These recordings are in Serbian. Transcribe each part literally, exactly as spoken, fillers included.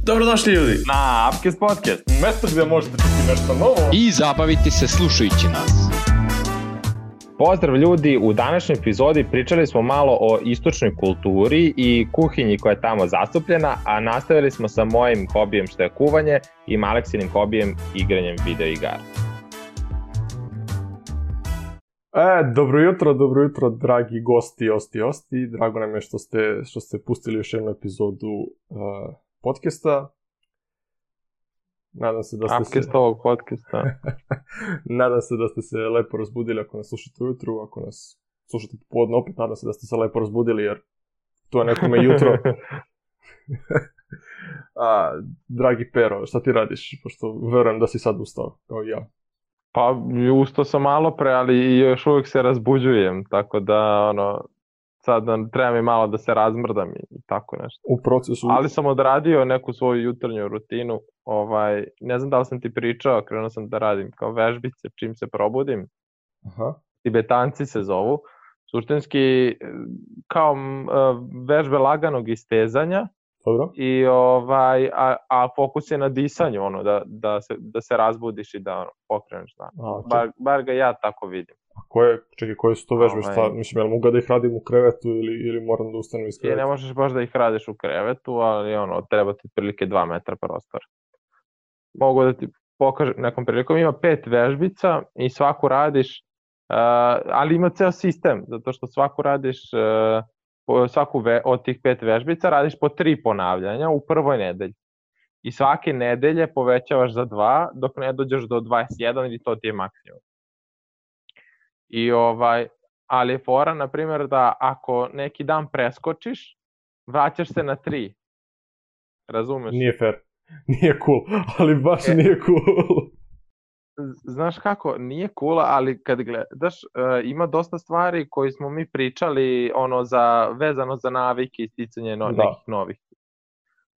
Dobrodošli ljudi na Upcast Podcast, mjesto gdje možete čuti nešto novo i zabaviti se slušajući nas. Pozdrav ljudi, u današnjoj epizodi pričali smo malo o istočnoj kulturi i kuhinji koja je tamo zastupljena, a nastavili smo sa mojim hobijem što je kuvanje i Maleksinim hobijem igranjem video igara. E, dobro jutro, dobro jutro, dragi gosti, osti, osti. Drago nam je što ste, što ste pustili još jednu epizodu uh, podcasta. Nadam se da ste Upcast se... ovog podcasta. Nadam se da ste se lepo razbudili ako nas slušate ujutru, ako nas slušate popodne opet, nadam se da ste se lepo razbudili jer to je nekome jutro. A, dragi Pero, šta ti radiš? Pošto verujem da si sad ustao, kao i ja. Pa, ustao sam malo pre, ali još uvijek se razbuđujem, tako da, ono, sad treba mi malo da se razmrdam i tako nešto. U procesu... Ali sam odradio neku svoju jutarnju rutinu, ovaj, ne znam da li sam ti pričao, krenuo sam da radim kao vežbice čim se probudim. Aha. Tibetanci se zovu, suštinski kao uh, vežbe laganog istezanja. Dobro. I ovaj, a, a fokus je na disanju, ono, da, da, se, da se razbudiš i da ono, pokreneš dan. Bar, bar ga ja tako vidim. A koje, čekaj, koje su to vežbe? Ovaj... Šta, mislim, jel mogu da ih radim u krevetu ili, ili moram da ustanem iz kreveta? I ne možeš baš da ih radiš u krevetu, ali ono, treba ti prilike dva metra prostor. Mogu da ti pokažem nekom prilikom, ima pet vežbica i svaku radiš, uh, ali ima ceo sistem, zato što svaku radiš... Uh, svaku ve, od tih pet vežbica radiš po tri ponavljanja u prvoj nedelji. I svake nedelje povećavaš za dva dok ne dođeš do dvadeset jedan i to ti je maksimum. I ovaj, ali je fora, na primjer, da ako neki dan preskočiš, vraćaš se na tri. Razumeš? Nije fair. Nije cool, ali baš e, nije cool. Znaš kako, nije cool, ali kad gledaš, uh, ima dosta stvari koje smo mi pričali ono za, vezano za navike i sticanje no, nekih novih.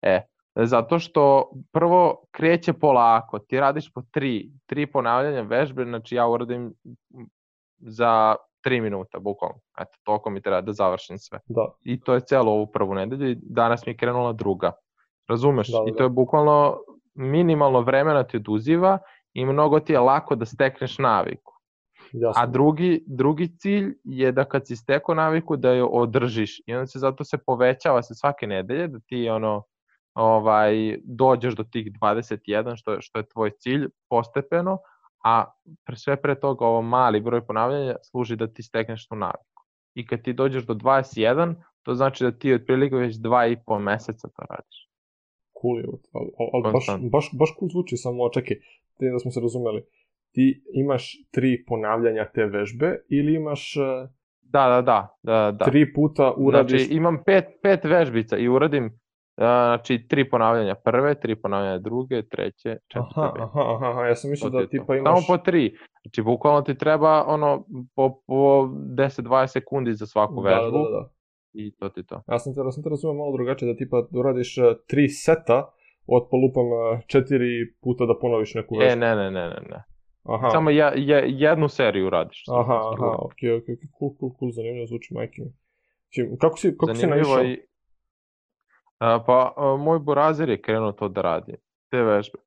E, zato što prvo kreće polako, ti radiš po tri, tri ponavljanja vežbe, znači ja uradim za tri minuta, bukvalno. Eto, toliko mi treba da završim sve. Da. I to je celo ovu prvu nedelju i danas mi je krenula druga. Razumeš? Da, da. I to je bukvalno minimalno vremena ti oduziva i mnogo ti je lako da stekneš naviku. Jasno. A drugi, drugi cilj je da kad si stekao naviku da je održiš i onda se zato se povećava se svake nedelje da ti ono ovaj dođeš do tih dvadeset jedan što je, što je tvoj cilj postepeno, a pre sve pre toga ovo mali broj ponavljanja služi da ti stekneš tu naviku. I kad ti dođeš do dvadeset jedan, to znači da ti otprilike već dva i po meseca to radiš. Cool je, ali, ali baš, baš, baš cool zvuči, samo čekaj, ti da smo se razumeli, ti imaš tri ponavljanja te vežbe ili imaš uh, da, da, da, da, da. tri puta uradiš... Znači imam pet, pet vežbica i uradim uh, znači tri ponavljanja prve, tri ponavljanja druge, treće, četvrte. Aha, aha, aha, ja sam mislio da tipa imaš... Samo po tri, znači bukvalno ti treba ono po, po deset do dvadeset sekundi za svaku da, vežbu. Da, da, da. I to ti to. Ja sam te, ja sam te razumio malo drugačije, da tipa uradiš uh, tri seta od polupam uh, četiri puta da ponoviš neku vežbu. E, ne, ne, ne, ne, ne. Aha. Samo ja, ja, jednu seriju radiš. Aha, aha, okej, okej, okay, cool, cool, cool, zanimljivo zvuči, majke mi. Kako si, kako si naišao? I, a, pa, a, moj burazir je krenuo to da radi, te vežbe.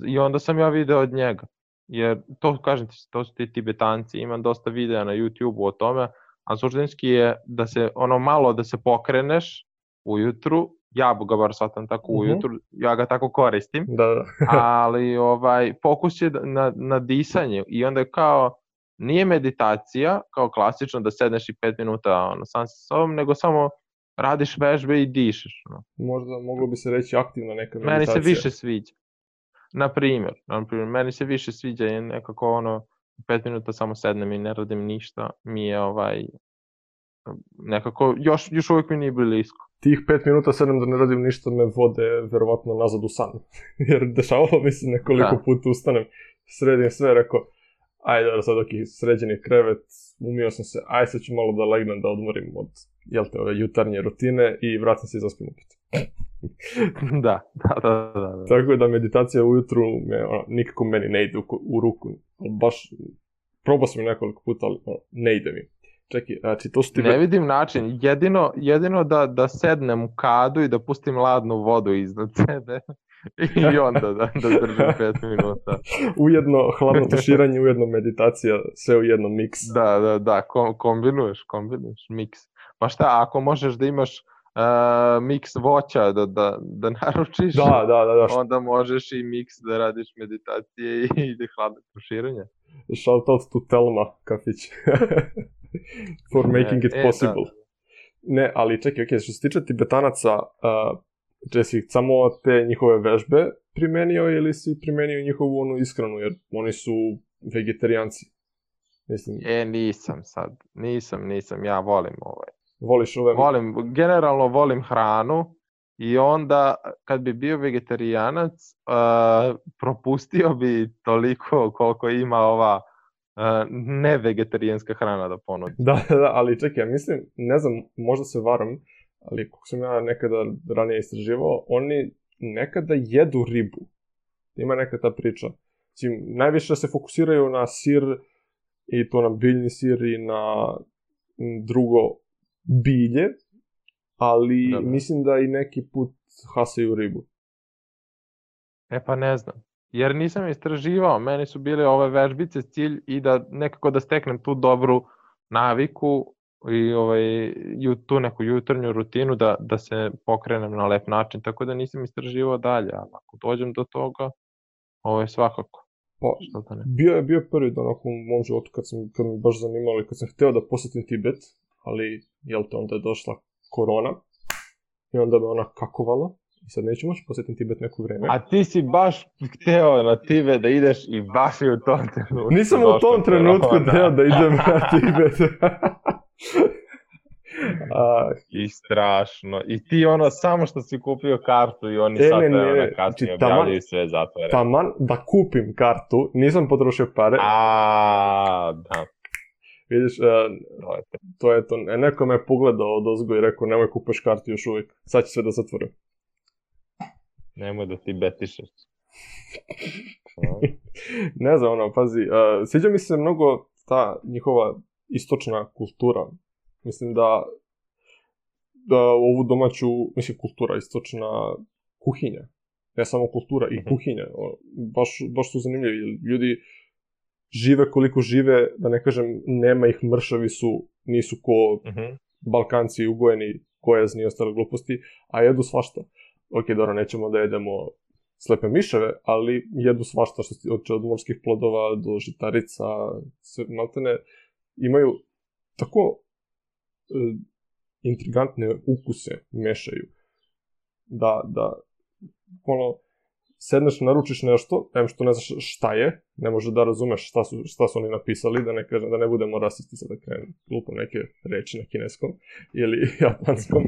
I onda sam ja video od njega. Jer, to kažem ti, to su ti Tibetanci, imam dosta videa na YouTube-u o tome, a suštinski je da se, ono malo da se pokreneš ujutru, ja ga bar shvatam tako uh-huh. ujutru, ja ga tako koristim, da, da. ali ovaj, fokus je na, na disanje i onda je kao, nije meditacija, kao klasično da sedneš i pet minuta ono, sam sa sobom, nego samo radiš vežbe i dišeš. No. Možda moglo bi se reći aktivna neka meditacija. Meni se više sviđa. Na primjer, na primjer, meni se više sviđa je nekako ono, pet minuta samo sednem i ne radim ništa, mi je ovaj, nekako, još, još uvijek mi nije blisko. Tih pet minuta sedem da ne radim ništa me vode verovatno nazad u san. Jer dešavalo mi se nekoliko da. puta ustanem, sredim sve, rekao, ajde da sad ok, sređen je krevet, umio sam se, aj sad ću malo da legnem da odmorim od, jel te, ove jutarnje rutine i vratim se i zaspim opet. da, da, da, da, da. Tako je da meditacija ujutru me, ono, nikako meni ne ide u, u ruku, baš, probao sam nekoliko puta, ali ono, ne ide mi. Čekaj, znači to su ti... Ne vidim način, jedino, jedino da, da sednem u kadu i da pustim ladnu vodu iznad sebe i onda da, da držim pet minuta. Ujedno hladno tuširanje, ujedno meditacija, sve u jednom miks. Da, da, da, kom, kombinuješ, kombinuješ, miks. Pa šta, ako možeš da imaš uh, miks voća da, da, da naručiš, da, da, da, da. onda možeš i miks da radiš meditacije i, i hladno tuširanje. Shout out to Telma kafić. For making it e, possible. Da, da. Ne, ali čekaj, ok, što se tiče Tibetanaca, uh, če si samo te njihove vežbe primenio ili si primenio njihovu onu ishranu, jer oni su vegetarijanci. Mislim, E, nisam sad, nisam, nisam, ja volim ovaj. voliš ove... Volim, generalno volim hranu i onda kad bi bio vegetarijanac, uh, propustio bi toliko koliko ima ova uh, nevegetarijanska hrana da ponudi. Da, da, ali čekaj, ja mislim, ne znam, možda se varam, ali kako sam ja nekada ranije istraživao, oni nekada jedu ribu. Ima neka ta priča. Znači, najviše se fokusiraju na sir, i to na biljni sir i na drugo bilje, ali da, da. mislim da i neki put hasaju ribu. E pa ne znam, jer nisam istraživao, meni su bile ove vežbice cilj i da nekako da steknem tu dobru naviku i ovaj, tu neku jutarnju rutinu da, da se pokrenem na lep način, tako da nisam istraživao dalje, ali ako dođem do toga, ovo je svakako. Pa, bio je bio prvi dan u mom životu kad, sam, kad mi baš zanimalo i kad sam hteo da posjetim Tibet, ali jel te onda je došla korona i onda me ona kakovala i sad neću moći posjetim Tibet neko vreme. A ti si baš hteo na Tibet da ideš i baš je u tom trenutku. Nisam u tom trenutku hteo da idem na Tibet. A, I strašno. I ti ono, samo što si kupio kartu i oni e, sad vremena kasnije objavljaju sve zatvore. Taman da kupim kartu, nisam potrošio pare. A, da. Vidiš, uh, to je to. Neko me pogledao od ozgo i rekao, nemoj kupaš kartu još uvijek. Sad će sve da zatvorim. Nemoj da ti betišeš. Ne znam, ono, pazi. Uh, sviđa mi se mnogo ta njihova istočna kultura. Mislim da, da ovu domaću, mislim, kultura, istočna kuhinja, ne samo kultura, i kuhinja, baš, baš su zanimljivi. Ljudi žive koliko žive, da ne kažem, nema ih, mršavi su, nisu ko uh-huh. Balkanci ugojeni, gojazni i ostale gluposti, a jedu svašta. Ok, dobro, nećemo da jedemo slepe miševe, ali jedu svašta, što se od, od morskih plodova do žitarica, sve, maltene, imaju tako intrigantne ukuse mešaju. Da, da, ono, sedneš, naručiš nešto, em što ne znaš šta je, ne može da razumeš šta su, šta su oni napisali, da ne kažem, da ne budemo rasisti sad da krenem glupom neke reči na kineskom ili japanskom,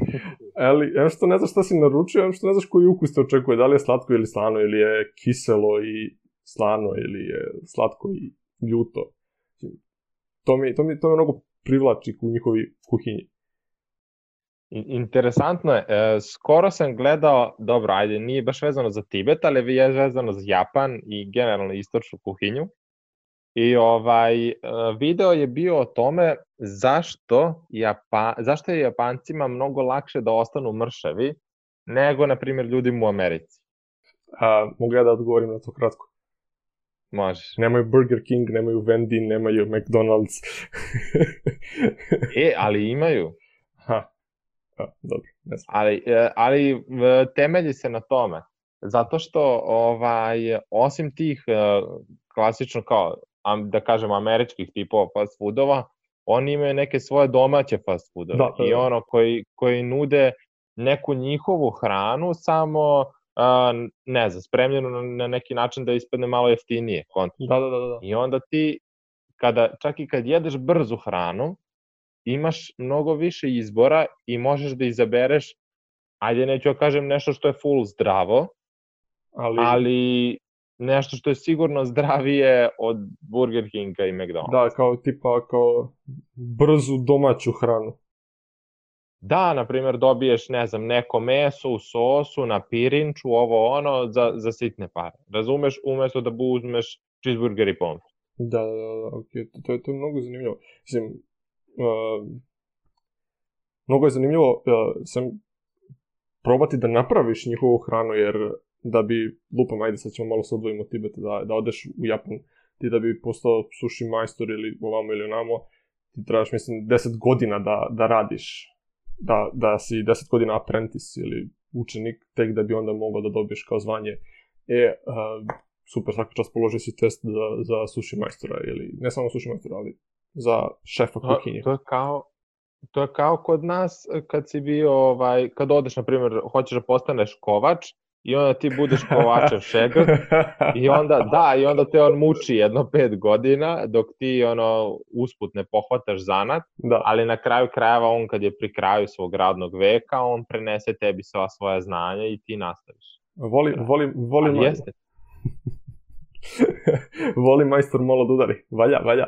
ali em što ne znaš šta si naručio, em što ne znaš koji ukus te očekuje, da li je slatko ili slano, ili je kiselo i slano, ili je slatko i ljuto. To mi, to mi, to mi mnogo privlači u njihovi kuhinji. Interesantno je, e, skoro sam gledao, dobro, ajde, nije baš vezano za Tibet, ali je vezano za Japan i generalno istočnu kuhinju. I ovaj, e, video je bio o tome zašto, Japa, zašto je Japancima mnogo lakše da ostanu mršavi nego, na primjer, ljudima u Americi. A, mogu ja da odgovorim na to kratko? Možeš. Nemaju Burger King, nemaju Wendy, nemaju McDonald's. E, ali imaju. Ha. A, dobro, ne znam. Ali, ali temelji se na tome. Zato što ovaj, osim tih klasično kao, da kažemo, američkih tipova fast foodova, oni imaju neke svoje domaće fast foodove. Da, da, da. I ono koji, koji nude neku njihovu hranu, samo Uh, ne znam, spremljeno na, na neki način da ispadne malo jeftinije. Da, da, da, da. I onda ti, kada, čak i kad jedeš brzu hranu, imaš mnogo više izbora i možeš da izabereš, ajde neću ja kažem nešto što je full zdravo, ali, ali nešto što je sigurno zdravije od Burger Kinga i McDonald's. Da, kao tipa, kao brzu domaću hranu. Da, na primjer, dobiješ, ne znam, neko meso u sosu, na pirinču, ovo ono, za, za sitne pare. Razumeš, umjesto da uzmeš cheeseburger i pomfrit. Da, da, da, ok, to je, to je mnogo zanimljivo. Mislim, uh, mnogo je zanimljivo uh, sam probati da napraviš njihovu hranu, jer da bi, lupam, ajde sad ćemo malo se odvojimo od Tibeta, da, da odeš u Japan, ti da bi postao sushi majstor ili ovamo ili onamo, ti trebaš, mislim, deset godina da, da radiš, da, da si deset godina apprentice ili učenik, tek da bi onda mogao da dobiješ kao zvanje. E, uh, super, svaka čast položio si test za, za sushi majstora, ili ne samo sushi majstora, ali za šefa kuhinje. To je kao, to je kao kod nas kad si bio, ovaj, kad odeš, na primjer, hoćeš da postaneš kovač, i onda ti budeš kovačev šegrt, i onda, da, i onda te on muči jedno pet godina, dok ti, ono, usput ne pohvataš zanat, da. Ali na kraju krajeva on, kad je pri kraju svog radnog veka, on prenese tebi sva svoja znanja i ti nastaviš. Voli, voli, voli, Ali ma... jeste. voli majstor malo da udari. Valja, valja.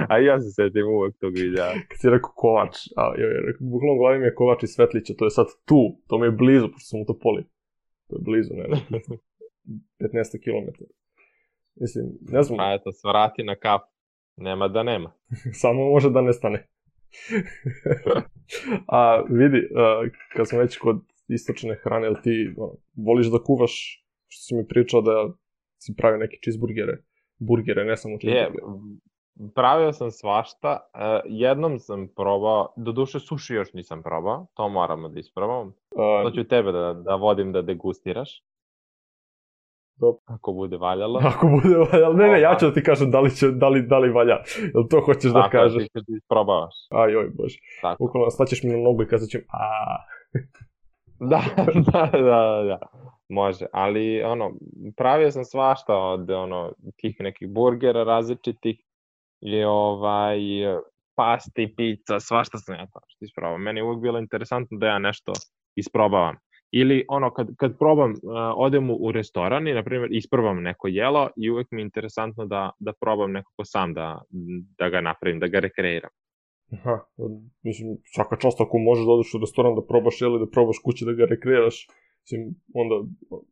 A ja se setim uvek tog videa. Kad si rekao kovač, a joj, bukvalno u glavi mi je kovač iz Svetlića, to je sad tu, to mi je blizu, pošto sam u Topoli. To je blizu, ne, petnaest kilometara. Mislim, ne znam. A eto, svrati na kafu. Nema da nema. Samo može da ne stane. A vidi, kad smo već kod istočne hrane, jel ti no, voliš da kuvaš, što si mi pričao da si pravio neke cheeseburgere, burgere, ne samo cheeseburgere. Je, pravio sam svašta, jednom sam probao, doduše suši još nisam probao, to moramo da isprobam. To ću tebe da, da vodim da degustiraš. Dobro. Ako bude valjalo. Ako bude valjalo, ne, ne, ja ću da ti kažem da li, će, da li, da li valja, jel to hoćeš da Tako, kažeš? Tako, ti isprobavaš. Aj, oj, bože. Ukoliko staćeš mi na nogu i kazat ćem, aaa. Da, da, da, da, može, ali ono, pravio sam svašta od ono, tih nekih burgera različitih i ovaj, pasti, pizza, svašta sam ja to što isprobao. Meni je uvijek bilo interesantno da ja nešto isprobavam. Ili ono, kad, kad probam, uh, odem u restoran i, na primjer, isprobam neko jelo i uvijek mi je interesantno da, da probam nekako sam da, da ga napravim, da ga rekreiram. Aha, mislim, svaka čast ako možeš da odeš u restoran da probaš jelo i da probaš kući da ga rekreiraš, mislim, onda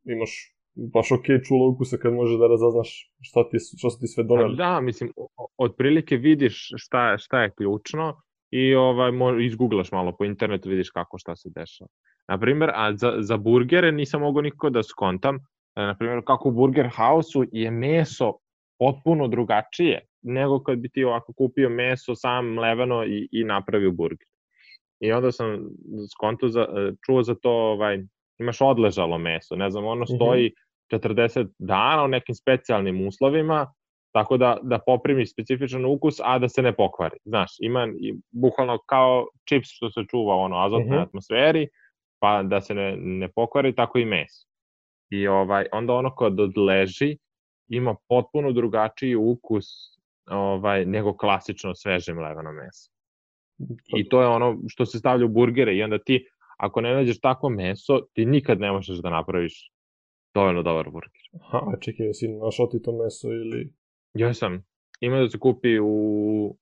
imaš baš okej čulo ukusa kad možeš da razaznaš šta, ti, šta su ti sve doneli. Da, mislim, otprilike vidiš šta, šta je ključno i ovaj, izgooglaš malo po internetu, vidiš kako šta se dešava. Naprimjer, a za, za burgere nisam mogao nikako da skontam, naprimjer, kako u Burger House-u je meso potpuno drugačije nego kad bi ti ovako kupio meso sam mleveno i, i napravio burger. I onda sam skonto za, čuo za to, ovaj, imaš odležalo meso, ne znam, ono stoji četrdeset dana u nekim specijalnim uslovima, tako da, da poprimi specifičan ukus, a da se ne pokvari. Znaš, ima bukvalno kao čips što se čuva u ono, azotnoj uh-huh. atmosferi, pa da se ne, ne pokvari, tako i meso. I ovaj, onda ono kad odleži, ima potpuno drugačiji ukus ovaj, nego klasično sveže mleveno meso. I to je ono što se stavlja u burgere i onda ti, ako ne nađeš takvo meso, ti nikad ne možeš da napraviš dovoljno dobar burger. Aha, čekaj, jesi našao ti to meso ili... Ja sam. Ima da se kupi u,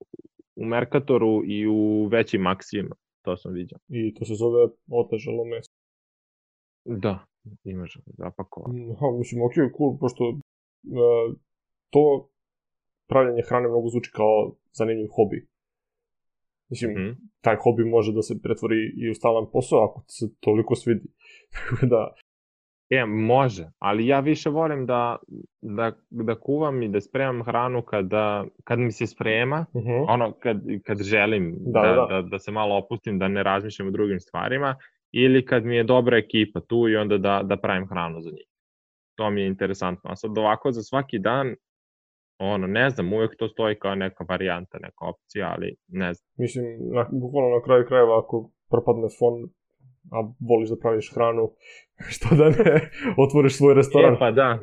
u Mercatoru i u većim Maxijima. To sam vidio. I to se zove odležalo meso. Da, imaš zapakovano. Aha, mislim, ok, cool, pošto uh, to pravljanje hrane mnogo zvuči kao zanimljiv hobi. Mislim, mm-hmm. taj hobi može da se pretvori i u stalan posao ako ti se toliko svidi. da... Je, može, ali ja više volim da, da, da kuvam i da spremam hranu kada, kad mi se sprema, uh-huh. ono, kad, kad želim da, da, da. Da, da se malo opustim, da ne razmišljam o drugim stvarima, ili kad mi je dobra ekipa tu i onda da, da pravim hranu za njih. To mi je interesantno. A sad ovako za svaki dan, ono, ne znam, uvijek to stoji kao neka varijanta, neka opcija, ali ne znam. Mislim, na, bukvalno na kraju krajeva, ako propadne fond, a voliš da praviš hranu, što da ne otvoriš svoj restoran. E, pa da.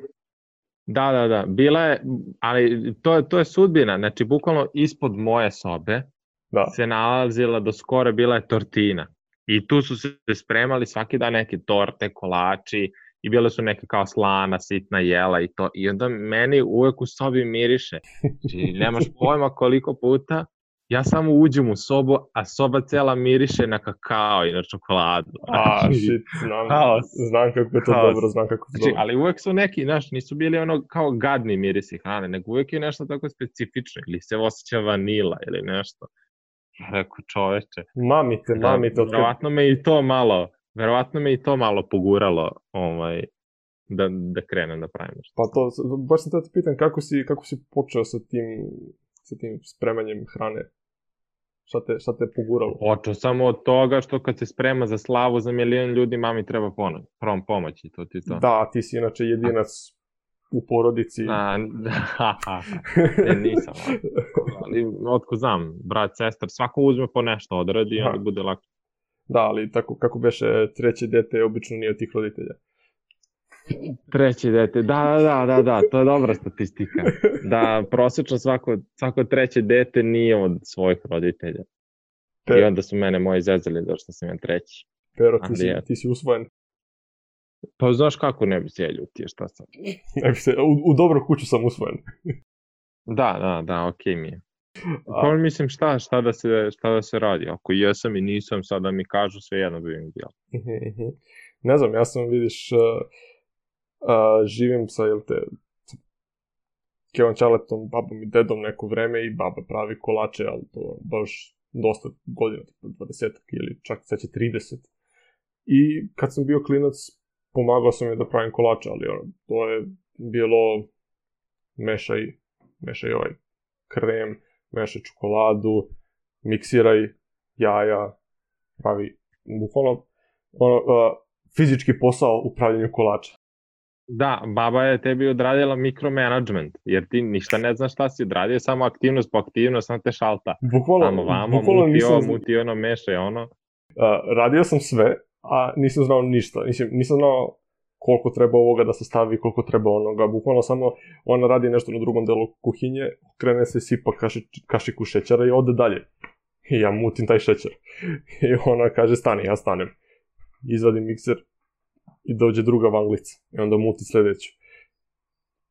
Da, da, da. Bila je, ali to, to je sudbina. Znači, bukvalno ispod moje sobe da. Se nalazila do skoro, bila je tortina. I tu su se spremali svaki dan neke torte, kolači, i bile su neke kao slana, sitna jela i to. I onda meni uvek u sobi miriše. Znači, nemaš pojma koliko puta ja samo uđem u sobu, a soba cela miriše na kakao i na čokoladu. A, Znači, shit, znam, haos. znam kako je to Haos. dobro, znam kako je to Znači, dobro. ali uvek su neki, znaš, nisu bili ono kao gadni mirisi hrane, nego uvek je nešto tako specifično, ili se osjeća vanila ili nešto. Ja rekao, čoveče. Mamite, Da, mamite. Otkad... verovatno me i to malo, verovatno me i to malo poguralo, ovaj, da, da krenem da pravim nešto. Pa to, baš sam te pitan kako si, kako si počeo sa tim, sa tim spremanjem hrane? Šta te, šta te poguralo? Počeo samo od toga što kad se sprema za slavu za milion ljudi, mami treba pono, prom pomoć i to ti to. Da, ti si inače jedinac u porodici. A, ne, nisam, ali otko znam, brat, sestar, svako uzme po nešto odradi i onda bude lako. Da, ali tako kako beše treće dete obično nije od tih roditelja. Treće dete, da, da, da, da, to je dobra statistika. Da, prosečno svako, svako treće dete nije od svojih roditelja. Pe... I onda su mene moji zezali zašto sam ja treći. Pero, ti si, ti si usvojen. Pa znaš kako ne bi se ja ljutio, šta sam? Ne bi se, u, u dobru kuću sam usvojen. Da, da, da, okej mi je. Pa mislim šta, šta, da se, šta da se radi, ako jesam i nisam, sad da mi kažu sve jedno bi mi bilo. Ne znam, ja sam vidiš... Uh... Uh, živim sa, jel te, Kevom Čaletom, babom i dedom neko vreme i baba pravi kolače, ali to baš dosta godina, dvadeset ili čak sad će trideset. I kad sam bio klinac, pomagao sam je da pravim kolače, ali ono, to je bilo mešaj, mešaj ovaj krem, mešaj čokoladu, miksiraj jaja, pravi bukvalno ono, uh, fizički posao u pravljenju kolača. Da, baba je tebi odradila mikromanagement, jer ti ništa ne znaš šta si odradio, samo aktivnost po aktivnost, samo te šalta. Bukvalno, samo vamo, bukvalno muti nisam... ovo, muti ono, mešaj ono. Uh, radio sam sve, a nisam znao ništa. Nisam, nisam znao koliko treba ovoga da se stavi, koliko treba onoga. Bukvalno samo ona radi nešto na drugom delu kuhinje, krene se sipa kaši, kašiku šećera i ode dalje. I ja mutim taj šećer. I ona kaže stani, ja stanem. Izvadim mikser i dođe druga vanglica. I onda muti sljedeću.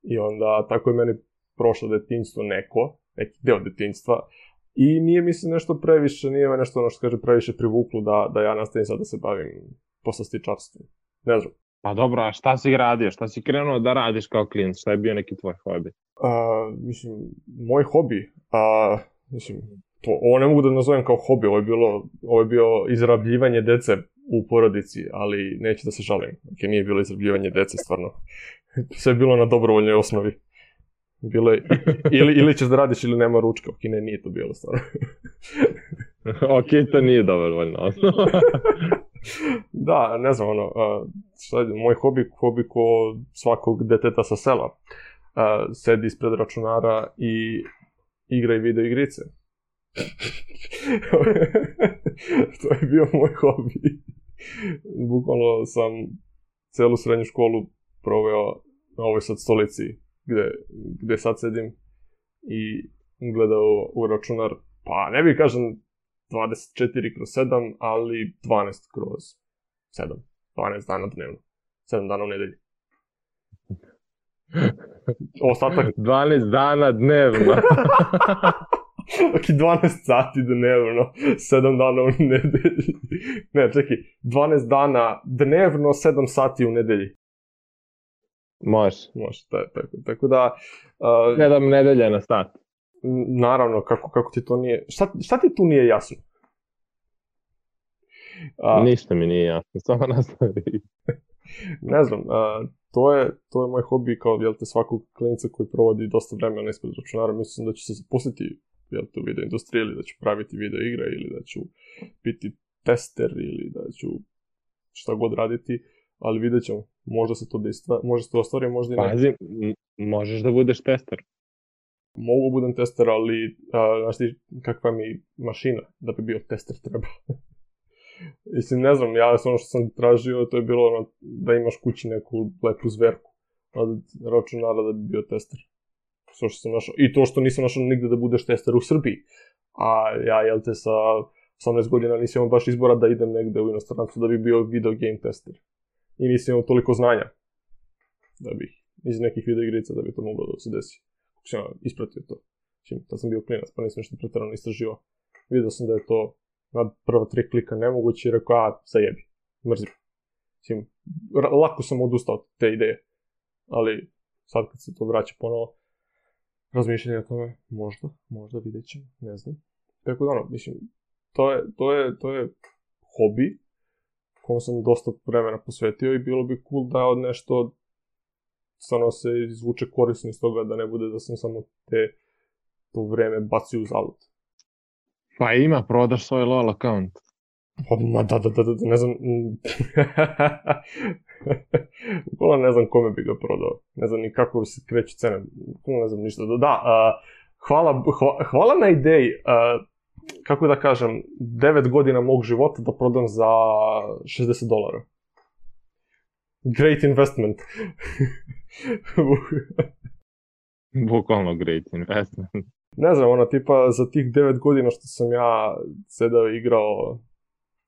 I onda tako je meni prošlo detinjstvo neko, neki deo detinjstva. I nije mi se nešto previše, nije me nešto ono što kaže previše privuklo da, da ja nastavim sad da se bavim poslastičarstvom. Ne znam. Pa dobro, a šta si radio? Šta si krenuo da radiš kao klinac? Šta je bio neki tvoj hobi? Uh, mislim, moj hobi, uh, mislim, to, ovo ne mogu da nazovem kao hobi, ovo je bilo, ovo je bio izrabljivanje dece u porodici, ali neću da se žalim. Okay, nije bilo izrabljivanje dece, stvarno. Sve je bilo na dobrovoljnoj osnovi. Bilo je, ili, ili ćeš da radiš ili nema ručka, ok, ne, nije to bilo stvarno. Ok, to nije dobrovoljna osnova. Da, ne znam, ono, uh, šta je, moj hobi, hobi ko svakog deteta sa sela. Uh, sedi ispred računara i igra i video igrice. To je bio moj hobi. Bukvalno sam celu srednju školu proveo na ovoj sad stolici gde, gde sad sedim i gledao u računar, pa ne bih kažem dvadeset četiri kroz sedam, ali dvanaest kroz sedam. dvanaest dana dnevno. sedam dana u nedelji. Ostatak... dvanaest dana dnevno. Ok, dvanaest sati dnevno, sedam dana u nedelji. Ne, čekaj, dvanaest dana dnevno, sedam sati u nedelji. Može. Može, tako, tako da... Uh, sedam nedelja na sat. Naravno, kako, kako ti to nije... Šta, šta ti tu nije jasno? Uh, Ništa mi nije jasno, samo nastavi. Ne znam, uh, to, je, to je moj hobi kao, jel te, svakog klinica koji provodi dosta vremena ispred računara. Mislim da ću se zaposliti, jel te, u video industriji, ili da ću praviti video igre, ili da ću biti tester, ili da ću šta god raditi, ali vidjet ćemo. Možda se to dejstva, možda se to ostvari, možda i ne. Pazi, m- možeš da budeš tester. Mogu budem tester, ali uh, znaš ti kakva mi mašina da bi bio tester treba. Mislim, ne znam, ja ono što sam tražio, to je bilo ono, da imaš kući neku lepu zverku od računara da bi bio tester. Što što sam našao. I to što nisam našao nigde da budeš tester u Srbiji. A ja, jel te, sa osamnaest godina nisam imao baš izbora da idem negde u inostranstvu da bi bio video game tester. I nisam imao toliko znanja da bih iz nekih video igrica da bi to moglo da se desi. Kako sam ispratio to. Mislim, tad sam bio klinac, pa nisam nešto pretjerano istraživao. Vidio sam da je to na prva tri klika nemoguće i rekao, a, zajebi, mrzim. Mislim, lako sam odustao od te ideje, ali sad kad se to vraća ponovo, razmišljanje o tome, možda, možda vidjet ćemo, ne znam. Tako da ono, mislim, to je, to je, to je hobi kom sam dosta vremena posvetio i bilo bi cool da od nešto stvarno se izvuče korisno iz toga, da ne bude da sam samo te to vreme bacio u zalud. Pa ima, prodaš svoj LOL account. Pa, ma da, da, da, da, ne znam... Ukola ne znam kome bi ga prodao. Ne znam ni kako se kreću cene. Ukola ne znam ništa. Da, da uh, hvala, hvala, hvala na ideji. Uh, kako da kažem, devet godina mog života da prodam za šezdeset dolara. Great investment. Bukvalno great investment. Ne znam, ona tipa za tih devet godina što sam ja sedao i igrao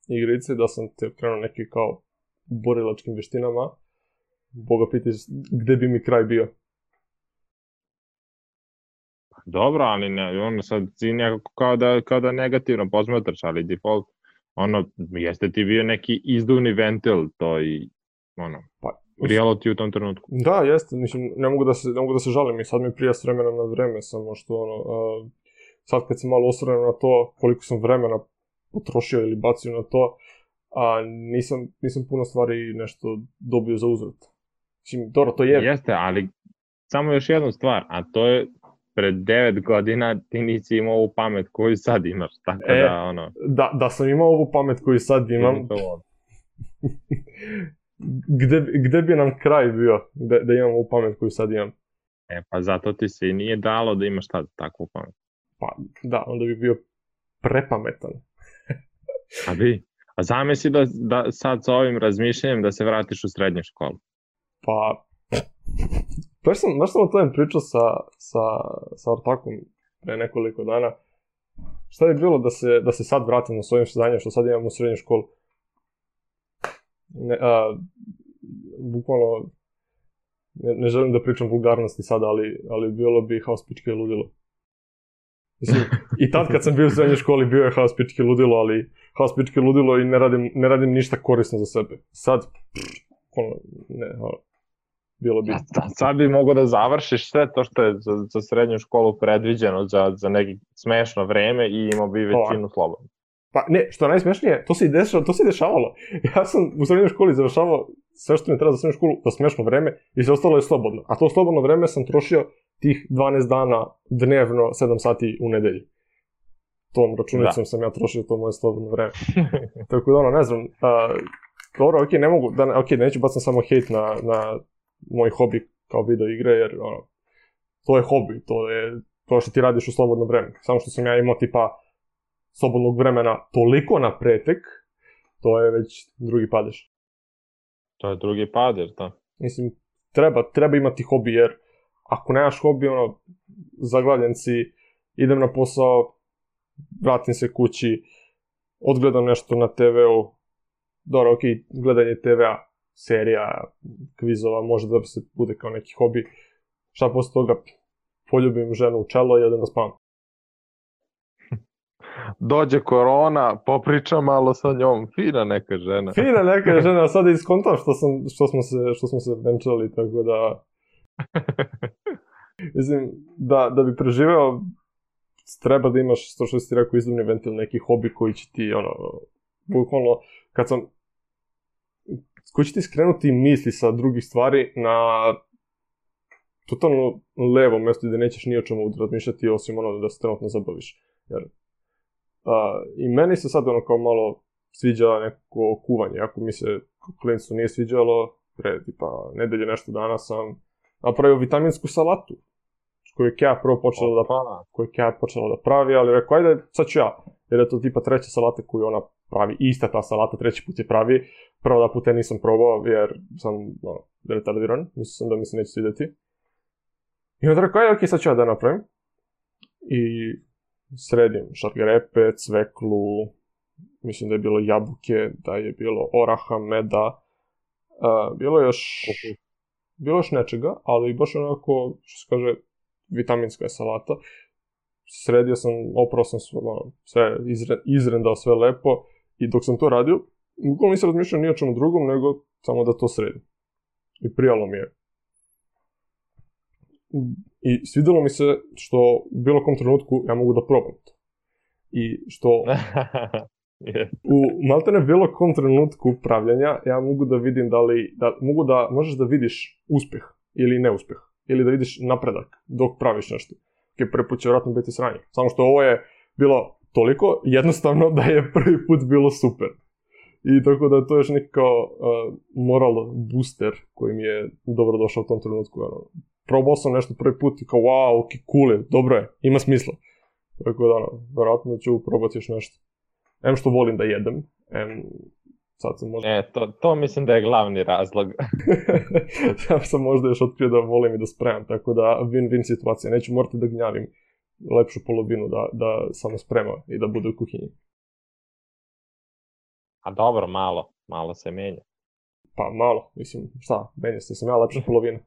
igrice, da sam te krenuo neki kao borilačkim veštinama, Boga pitiš gde bi mi kraj bio. Dobro, ali ne, ono sad si nekako kao da, kao da negativno posmatraš, ali default, ono, jeste ti bio neki izduvni ventil, to i, ono, pa, reality u tom trenutku. Da, jeste, mislim, ne mogu da se, ne mogu da se žalim i sad mi prija s vremena na vreme, samo što, ono, uh, sad kad se malo osvrnem na to koliko sam vremena potrošio ili bacio na to, a nisam, nisam puno stvari nešto dobio za uzvrat. Mislim, dobro, to je... Jeste, ali samo još jednu stvar, a to je pred devet godina ti nisi imao ovu pamet koju sad imaš, tako e, da, ono... Da, da sam imao ovu pamet koju sad imam... gde, gde bi nam kraj bio da, da imam ovu pamet koju sad imam? E, pa zato ti se i nije dalo da imaš tad takvu pamet. Pa, da, onda bi bio prepametan. A bi? A zamisli da, da sad sa ovim razmišljanjem da se vratiš u srednju školu. Pa, baš sam, baš sam o tome pričao sa, sa, sa ortakom pre nekoliko dana. Šta bi bilo da se, da se sad vratim na svojim znanjem što sad imam u srednju školu? Ne, a, bukvalno, ne, ne želim da pričam vulgarnosti sada, ali, ali bilo bi haos pičke ludilo. Mislim, i tad kad sam bio u srednjoj školi bio je haos pičke ludilo, ali haos pičke ludilo i ne radim, ne radim ništa korisno za sebe. Sad, ono, ne, ono, bilo bi... Sad bi mogao da završiš sve to što je za, za srednju školu predviđeno za, za neki smešno vreme i imao bi većinu slobodno. Pa ne, što je najsmešnije, to se i dešava, to se i dešavalo. Ja sam u srednjoj školi završavao sve što mi treba za srednju školu za smešno vreme i sve ostalo je slobodno. A to slobodno vreme sam trošio tih dvanaest dana dnevno, sedam sati u nedelji. Tom računicom da. sam ja trošio to moje slobodno vreme. Tako da ono, ne znam, a, dobro, okej, okay, ne mogu, da, okej, okay, neću bacam samo hejt na, na moj hobi kao video igre, jer ono, to je hobi, to je to što ti radiš u slobodno vreme. Samo što sam ja imao tipa slobodnog vremena toliko na pretek, to je već drugi padež. To je drugi padež, da. Mislim, treba, treba imati hobi, jer ako nemaš hobi, ono, zaglavljen si, idem na posao, vratim se kući, odgledam nešto na te veu, dobro, ok, gledanje te vea, serija, kvizova, može da se bude kao neki hobi. Šta posle toga, poljubim ženu u čelo i odem da spavam. Dođe korona, popričam malo sa njom, fina neka žena. Fina neka žena, sad je iskontam što, sam, što, smo se, što smo se venčali, tako da... Mislim, da, da bi preživeo, treba da imaš, to što si ti rekao, izduvni ventil, neki hobi koji će ti, ono, bukvalno, kad sam, koji će ti skrenuti misli sa drugih stvari na totalno levo mjesto gdje nećeš ni o čemu razmišljati osim ono da se trenutno zabaviš. Jer, a, i meni se sad ono kao malo sviđa neko kuvanje, ako mi se klincu nije sviđalo, pre tipa nedelje nešto dana sam napravio vitaminsku salatu, koju je Kea prvo počela da, koju je Kea počela da pravi, ali rekao, ajde, sad ću ja, jer je to tipa treća salata koju ona pravi, ista ta salata, treći put je pravi, prvo da puta nisam probao, jer sam, ono, retardiran, mislio sam da mi se neće svidjeti. I onda rekao, ajde, ok, sad ću ja da napravim. I sredim šargarepe, cveklu, mislim da je bilo jabuke, da je bilo oraha, meda, uh, bilo je još, bilo još nečega, ali baš onako, što se kaže, vitaminska je salata. sredio sam, oprao sam sve, ono, sve izre, izrendao sve lepo i dok sam to radio, uglavnom nisam razmišljao ni o čemu drugom, nego samo da to sredim. I prijalo mi je. I svidjelo mi se što u bilo kom trenutku ja mogu da probam to. I što yes. u maltene bilo kom trenutku pravljanja ja mogu da vidim da li, da, mogu da, možeš da vidiš uspjeh ili neuspjeh. Ili da vidiš napredak dok praviš nešto. Ok, prvi put će vjerojatno biti sranje. Samo što ovo je bilo toliko jednostavno da je prvi put bilo super. I tako da to je još neki kao uh, moral booster koji mi je dobro došao u tom trenutku. Ono. Probao sam nešto prvi put i kao wow, ok, cool je, dobro je, ima smisla. Tako da, ono, vjerojatno ću probati još nešto. Em što volim da jedem, em sad sam možda... E, to, to mislim da je glavni razlog. Ja sam možda još otkrio da volim i da spremam, tako da win-win situacija. Neću morati da gnjavim lepšu polovinu da, da samo sprema i da bude u kuhinji. A dobro, malo, malo se menja. Pa malo, mislim, šta, menja se, sam ja lepša polovina.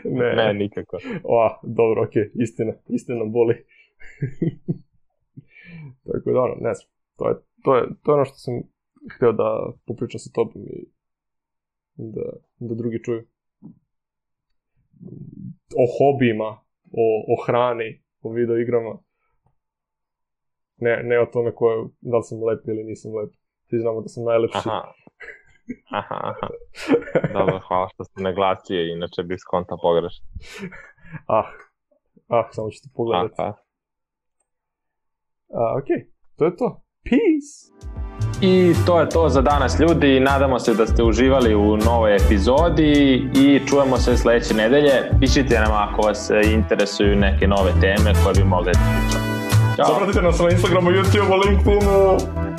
ne, ne, nikako. O, dobro, okej, okay. istina, istina boli. Tako da, ono, ne znam, to je, to je, to je ono što sam htio da popričam sa tobom i da, da drugi čuju. O hobijima, o, o hrani, o video igrama. Ne, ne o tome ko je, da li sam lep ili nisam lep. Svi znamo da sam najlepši. Aha. Aha, aha. Dobro, hvala što ste naglasio, inače bih skonta pogrešno. Ah, ah, samo ću ti pogledati. Ah, ah. Uh, ok, to je to. Peace! I to je to za danas, ljudi. Nadamo se da ste uživali u novoj epizodi i čujemo se sljedeće nedelje. Pišite nam ako vas interesuju neke nove teme koje bi mogli da pričamo. Ćao! Zapratite nas na Instagramu, YouTubeu, LinkedInu!